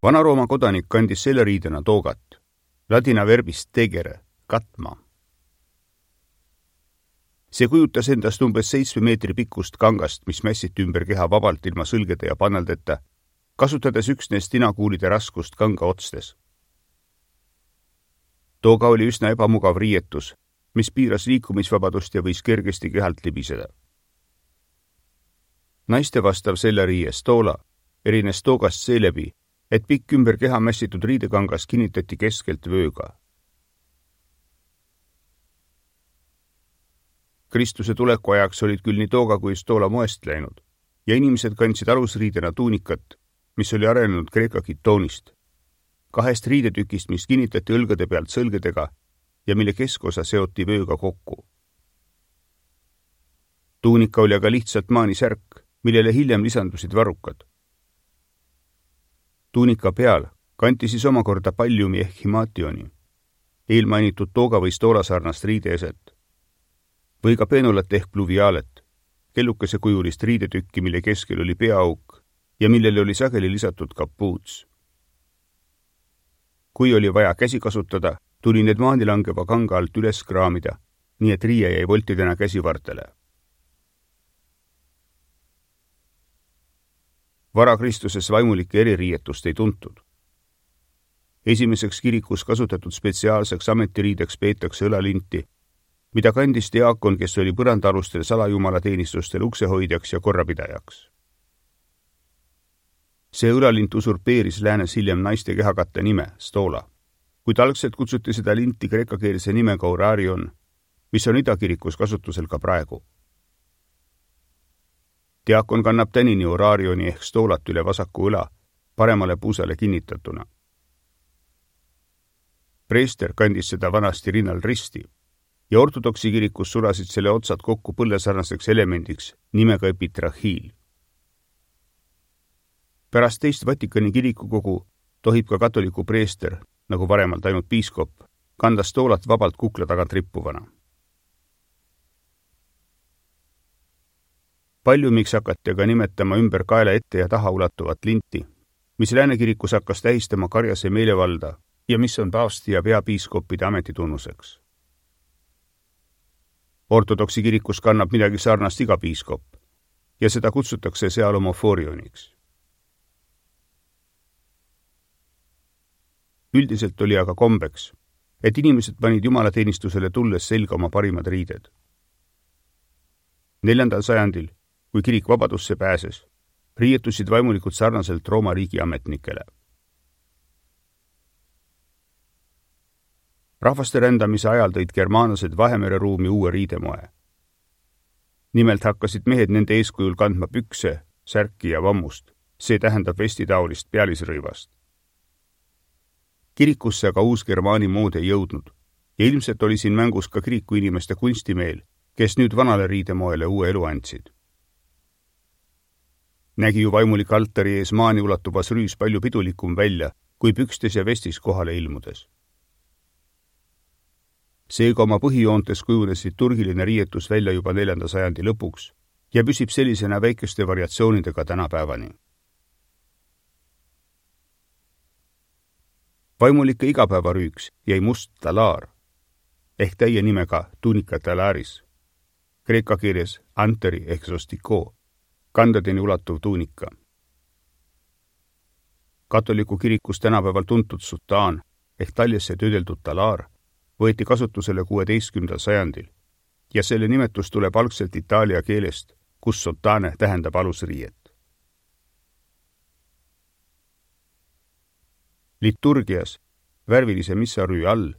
Vana-Rooma kodanik kandis selle riidena toogat, ladina verbist tegere, katma. See kujutas endast umbes seitsme meetri pikkust kangast, mis mässiti ümber keha vabalt ilma sõlgede ja panneldeta, kasutades üksnes tinakuulide raskust kanga otstes. Tooga oli üsna ebamugav riietus, mis piiras liikumisvabadust ja võis kergesti kehalt libiseda. Naiste vastav selle riie stoola erines toogast seeläbi, et pikk ümber keha mässitud riidekangas kinnitati keskelt vööga. Kristuse tuleku ajaks olid küll nii tooga kui stoola moest läinud ja inimesed kandsid alusriidena tuunikat, mis oli arenenud kreeka kitoonist, kahest riidetükist, mis kinnitati õlgade pealt sõlgedega ja mille keskosa seoti vööga kokku. Tuunika oli aga lihtsalt maanisärk, millele hiljem lisandusid varrukad. Tuunika peal kanti siis omakorda palliumi ehk himationi, eelmainitud tooga või stoolasarnast riideeset, või ka peenulat ehk pluviaalet, kellukese kujulist riidetükki, mille keskel oli peaauk ja millele oli sageli lisatud kapuuts. Kui oli vaja käsi kasutada, tuli need maanilangeva kanga alt üles kraamida, nii et riie jäi voltidena käsivartele. Varakristuses vaimulike eririietust ei tuntud. Esimeseks kirikus kasutatud spetsiaalseks ametiriideks peetakse õlalinti, mida kandis diaakon, kes oli põrandaalustel salajumalateenistustel uksehoidjaks ja korrapidajaks. See õlalint usurpeeris läänes hiljem naiste kehakatte nime, stoola, kuid algselt kutsuti seda linti kreekakeelse nimega orarion, mis on idakirikus kasutusel ka praegu. Diakon kannab tänini orarioni ehk stoolat üle vasaku õla, paremale puusale kinnitatuna. Preester kandis seda vanasti rinnal risti ja ortodoksi kirikus sulasid selle otsad kokku põllesarnaseks elemendiks nimega epitrahiil. Pärast teist Vatikani kirikukogu tohib ka katoliku preester, nagu varemalt ainult piiskop, kanda stoolat vabalt kukla tagant rippuvana. Paljumiks hakati aga nimetama ümber kaela ette ja taha ulatuvat linti, mis lääne kirikus hakkas tähistama karjase meelevalda ja mis on paavsti ja peapiiskoppide ametitunnuseks. Ortodoksi kirikus kannab midagi sarnast iga piiskop ja seda kutsutakse seal homoforioniks. Üldiselt oli aga kombeks, et inimesed panid jumalateenistusele tulles selga oma parimad riided. Neljandal sajandil, kui kirik vabadusse pääses, riietusid vaimulikud sarnaselt Rooma riigi ametnikele. Rahvaste rändamise ajal tõid germaanlased Vahemere ruumi uue riidemoe. Nimelt hakkasid mehed nende eeskujul kandma pükse, särki ja vammust, see tähendab vestitaolist pealisrõivast. Kirikusse aga uus germaani mood ei jõudnud ja ilmselt oli siin mängus ka kiriku inimeste kunstimeel, kes nüüd vanale riidemoele uue elu andsid. Nägi ju vaimulik altari ees maani ulatuvas rüüs palju pidulikum välja, kui pükstes ja vestis kohale ilmudes. Seega oma põhijoontes kujunes liturgiline riietus välja juba neljanda sajandi lõpuks ja püsib sellisena väikeste variatsioonidega tänapäevani. Vaimulike igapäevarüüks jäi must talaar, ehk täie nimega tunica talaris, kreeka keeles anteri ehk sostiko, kandadeni ulatuv tuunika. Katoliku kirikus tänapäeval tuntud sutaan ehk taljesse töödeldud talaar võeti kasutusele kuueteistkümnendal sajandil ja selle nimetus tuleb algselt itaalia keelest, kus sotane tähendab alusriiet. Liturgias värvilise missarüü all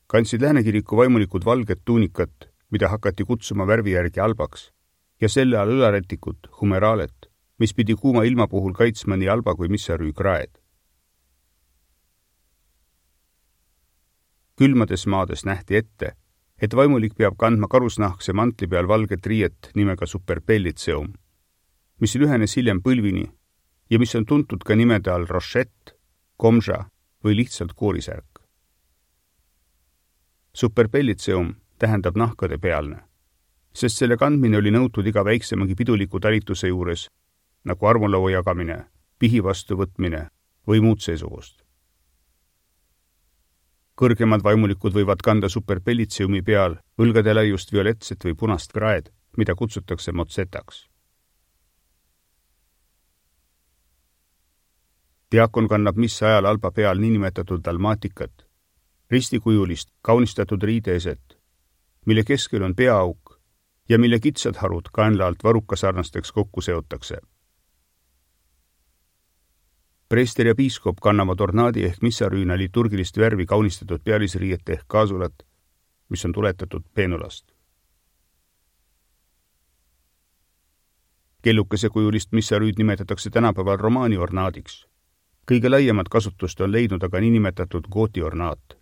kandsid läänekiriku vaimulikud valget tuunikat, mida hakati kutsuma värvi järgi albaks, ja selle all õlaretikut, humeraalet, mis pidi kuuma ilma puhul kaitsma nii alba kui missarüü kraed. Külmades maades nähti ette, et vaimulik peab kandma karusnahkse mantli peal valget riiet nimega superpellitseum, mis lühenes hiljem põlvini ja mis on tuntud ka nimede all rochette, komža või lihtsalt koorisärk. Superpellitseum tähendab nahkade pealne, sest selle kandmine oli nõutud iga väiksemagi piduliku talituse juures, nagu armulaua jagamine, pihi vastuvõtmine või muud seesugust. Kõrgemad vaimulikud võivad kanda superpellitseumi peal õlgade laiust violetset või punast kraed, mida kutsutakse motsetaks. Diakon kannab missa ajal alba peal niinimetatud dalmaatikat, ristikujulist kaunistatud riideeset, mille keskel on peaauk ja mille kitsad harud kaenla alt varukasarnasteks kokku seotakse. Preester ja piiskop kannavad ornaadi ehk missarüüna liturgilist värvi kaunistatud pealisriiet ehk kaasulat, mis on tuletatud peenulast. Kellukese kujulist missarüüd nimetatakse tänapäeval romaani ornaadiks. Kõige laiemat kasutust on leidnud aga niinimetatud gooti ornaat,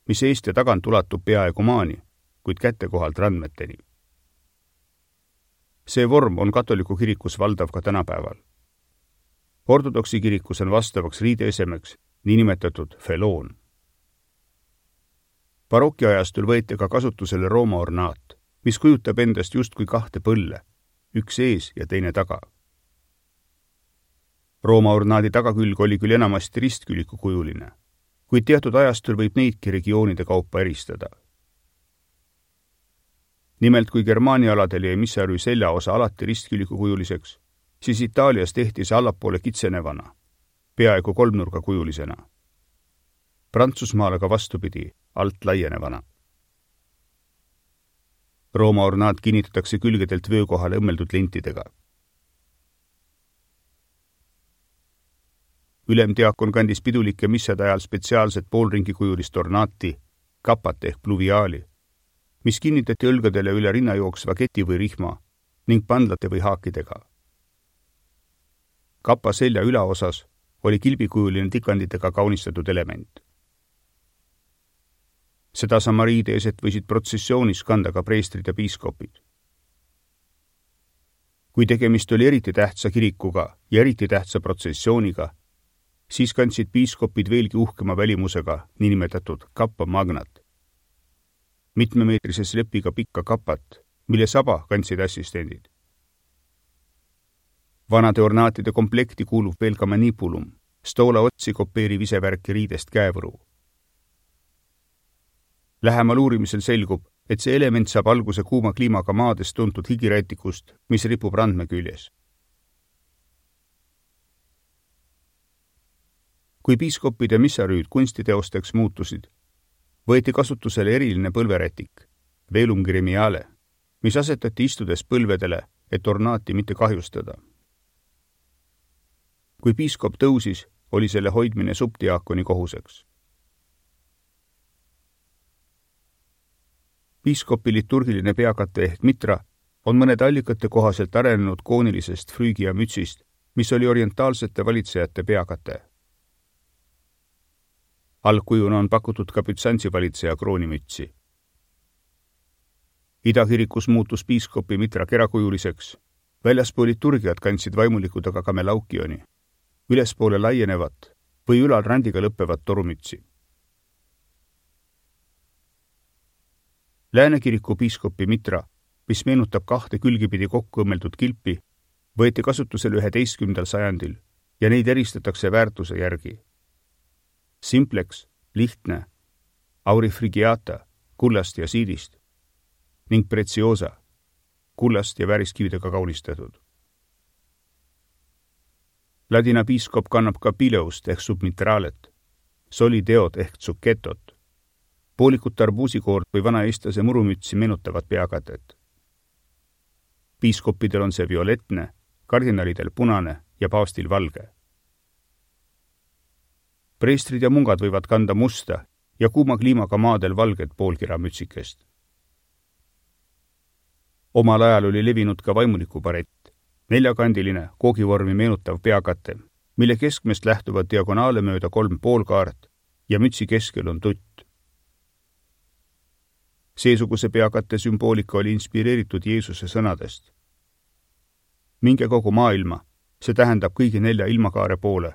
mis eest ja tagant ulatub peaaegu maani, kuid kätekohalt randmeteni. See vorm on katoliku kirikus valdav ka tänapäeval. Ortodoksi kirikus on vastavaks riideesemeks niinimetatud feloon. Barokiajastul võeti ka kasutusele Rooma ornaat, mis kujutab endast justkui kahte põlle, üks ees ja teine taga. Rooma ornaadi tagakülg oli küll enamasti ristküliku kujuline, kuid teatud ajastul võib neidki regioonide kaupa eristada. Nimelt, kui Germaania aladel jäi missarüü seljaosa alati ristküliku kujuliseks, siis Itaalias tehti see allapoole kitsenevana, peaaegu kolmnurga kujulisena. Prantsusmaal aga vastupidi, alt laienevana. Rooma ornaat kinnitatakse külgedelt vöökohale õmmeldud lintidega. Ülemdiakon kandis pidulike missade ajal spetsiaalset poolringikujulist ornaati, kapat ehk pluviaali, mis kinnitati õlgadele üle rinna jooksva keti või rihma ning pandlate või haakidega. Kapa selja ülaosas oli kilbikujuline tikanditega kaunistatud element. Seda sama riideeset võisid protsessioonis kanda ka preestrid ja piiskopid. Kui tegemist oli eriti tähtsa kirikuga ja eriti tähtsa protsessiooniga, siis kandsid piiskopid veelgi uhkema välimusega niinimetatud kappa magnat, mitmemeetrise slepiga pikka kapat, mille saba kandsid assistendid. Vanade ornaatide komplekti kuulub veel ka manipulum, stoola otsi kopeeriv isevärki riidest käevõru. Lähemal uurimisel selgub, et see element saab alguse kuuma kliimaga maades tuntud higirätikust, mis ripub randme küljes. Kui piiskopid ja missarüüd kunstiteosteks muutusid, võeti kasutusele eriline põlverätik, velum gremiale, mis asetati istudes põlvedele, et ornaati mitte kahjustada. Kui piiskop tõusis, oli selle hoidmine subdiakoni kohuseks. Piiskopi liturgiline peakate ehk mitra on mõnede allikate kohaselt arenenud koonilisest früügia mütsist, mis oli orientaalsete valitsejate peakate. Algkujuna on pakutud ka Bütsantsi valitseja kroonimütsi. Idakirikus muutus piiskopi mitra kerakujuliseks, väljaspool liturgiat kandsid vaimulikud aga ka melaukioni, ülespoole laienevat või ülal randiga lõppevat torumütsi. Läänekiriku piiskopi mitra, mis meenutab kahte külgipidi kokku õmmeldud kilpi, võeti kasutusele üheteistkümnendal sajandil ja neid eristatakse väärtuse järgi. Simplex, lihtne, aurifrigiata, kullast ja siidist ning preciosa, kullast ja vääriskividega kaunistatud. Ladina piiskop kannab ka pileust ehk submitralet, solideot ehk tsuketot, poolikut arbuusikoort või vana eestlase murumütsi meenutavad peakatet. Piiskopidel on see violetne, kardinalidel punane ja paavstil valge. Preestrid ja mungad võivad kanda musta ja kuuma kliimaga maadel valget poolkiramütsikest. Omal ajal oli levinud ka vaimuliku barett, neljakandiline, koogivormi meenutav peakate, mille keskmest lähtuvad diagonaale mööda kolm poolkaart ja mütsi keskel on tutt. Seesuguse peakate sümboolika oli inspireeritud Jeesuse sõnadest. Minge kogu maailma, see tähendab kõigi nelja ilmakaare poole,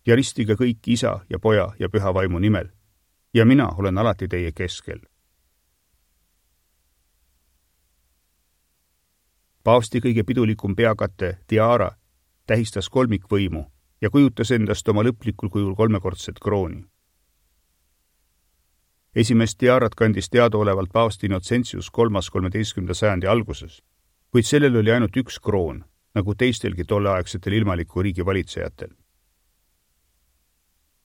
ja ristige kõik isa ja poja ja püha vaimu nimel, ja mina olen alati teie keskel. Paavsti kõige pidulikum peakate, tiara, tähistas kolmikvõimu ja kujutas endast oma lõplikul kujul kolmekordset krooni. Esimest tiarat kandis teadaolevalt paavst Innocentius kolmas kolmeteistkümnenda sajandi alguses, kuid sellel oli ainult üks kroon, nagu teistelgi tolleaegsetel ilmaliku riigi valitsejatel.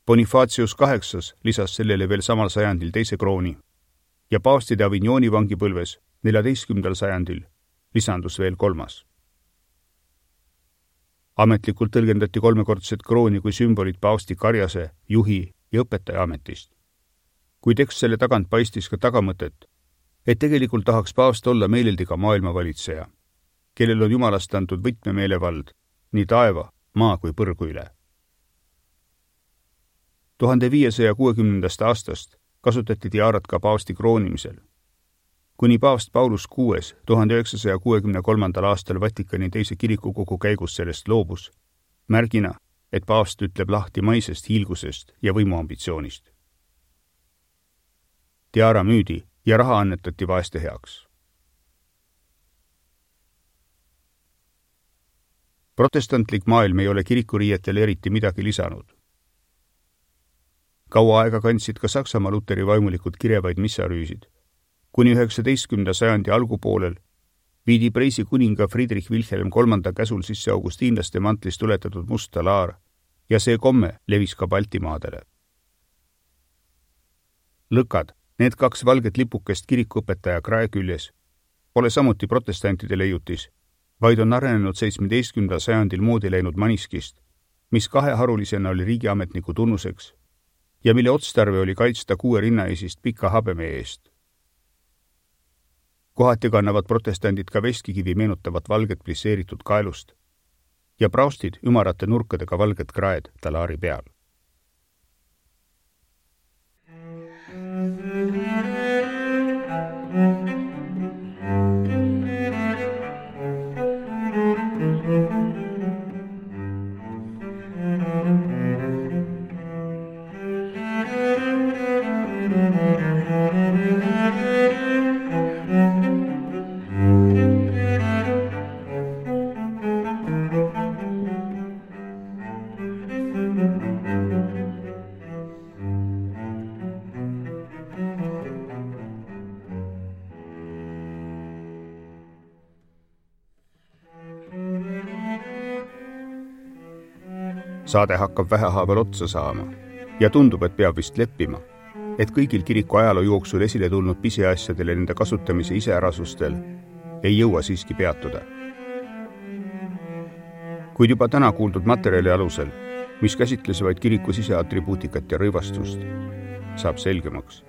Bonifacius kaheksas lisas sellele veel samal sajandil teise krooni ja paavstide Avignoni vangipõlves neljateistkümnendal sajandil lisandus veel kolmas. Ametlikult tõlgendati kolmekordset krooni kui sümbolit paavsti karjase, juhi ja õpetaja ametist. Kuid eks selle tagant paistis ka tagamõtet, et tegelikult tahaks paavst olla meeleldi ka maailmavalitseja, kellel on jumalast antud võtmemeelevald nii taeva, maa kui põrgu üle. tuhande viiesaja kuuekümnendast aastast kasutati tiaarat ka paavsti kroonimisel. Kuni paavst Paulus kuues tuhande üheksasaja kuuekümne kolmandal aastal Vatikani teise kirikukogu käigus sellest loobus, märgina, et paavst ütleb lahti maisest hiilgusest ja võimuambitsioonist. Tiara müüdi ja raha annetati vaeste heaks. Protestantlik maailm ei ole kirikuriietel eriti midagi lisanud. Kaua aega kandsid ka Saksamaa luteri vaimulikud kirevaid missarüüsid. Kuni üheksateistkümnenda sajandi algupoolel viidi Preisi kuninga Friedrich Wilhelm kolmanda käsul sisse augustiinlaste mantlist tuletatud must talaar ja see komme levis ka Baltimaadele. Lõkad, need kaks valget lipukest kirikuõpetaja krae küljes, pole samuti protestantide leiutis, vaid on arenenud seitsmeteistkümnendal sajandil moodi läinud maniskist, mis kaheharulisena oli riigiametniku tunnuseks ja mille otstarve oli kaitsta kuue rinnaesist pika habeme eest. Kohati kannavad protestandid ka veskikivi meenutavat valget plisseeritud kaelust ja praustid ümarate nurkadega valget kraed talaari peal. Saade hakkab vähehaaval otsa saama ja tundub, et peab vist leppima, et kõigil kiriku ajaloo jooksul esile tulnud pisiasjadele nende kasutamise iseärasustel ei jõua siiski peatuda. Kuid juba täna kuuldud materjali alusel, mis käsitles vaid kiriku siseatribuutikat ja rõivastust, saab selgemaks,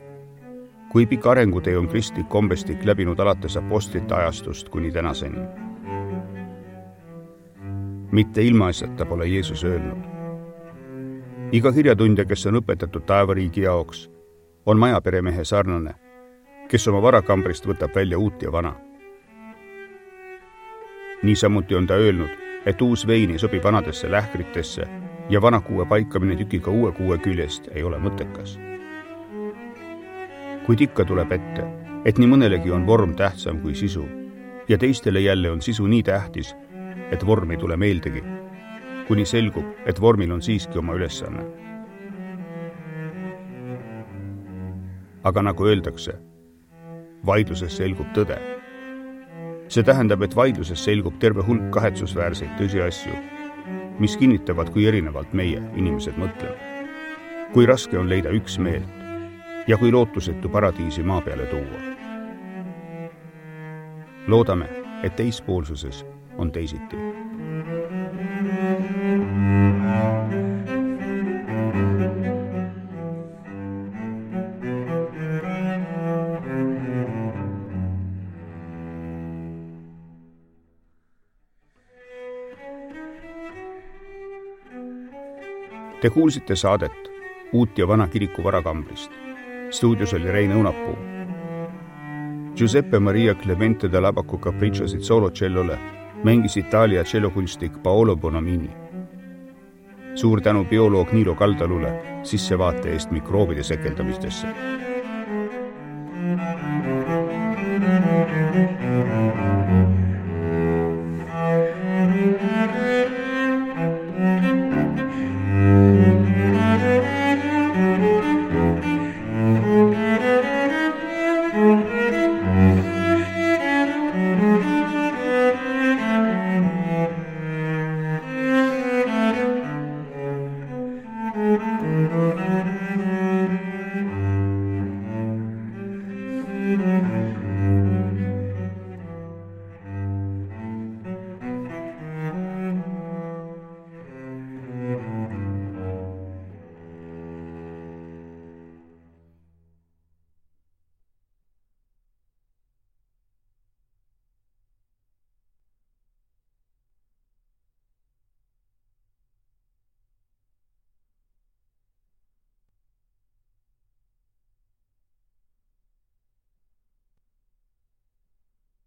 kui pikk arengutee on kristlik kombestik läbinud alates apostlite ajastust kuni tänaseni. Mitte ilmaasjata pole Jeesus öelnud. Iga kirjatundja, kes on õpetatud taevariigi jaoks, on majaperemehe sarnane, kes oma varakambrist võtab välja uut ja vana. Niisamuti on ta öelnud, et uus vein ei sobi vanadesse lähkritesse ja vana kuue paikamine tükiga uue kuue küljest ei ole mõttekas. Kuid ikka tuleb ette, et nii mõnelegi on vorm tähtsam kui sisu ja teistele jälle on sisu nii tähtis, et vorm ei tule meeldegi, kuni selgub, et vormil on siiski oma ülesanne. Aga nagu öeldakse, vaidluses selgub tõde. See tähendab, et vaidluses selgub terve hulk kahetsusväärseid tõsiasju, mis kinnitavad, kui erinevalt meie inimesed mõtleme, kui raske on leida üksmeelt ja kui lootusetu paradiisi maa peale tuua. Loodame, et teispoolsuses on teisiti. Te kuulsite saadet Uut ja vana kiriku varakambrist. Stuudios oli Rein Õunapuu. Giuseppe Maria Clemente da Labaco Capricciosid soolocellole mängis Itaalia cellokunstik Paolo Bonamini. Suur tänu bioloog Niilo Kaldalule sissevaate eest mikroobide sekeldamistesse.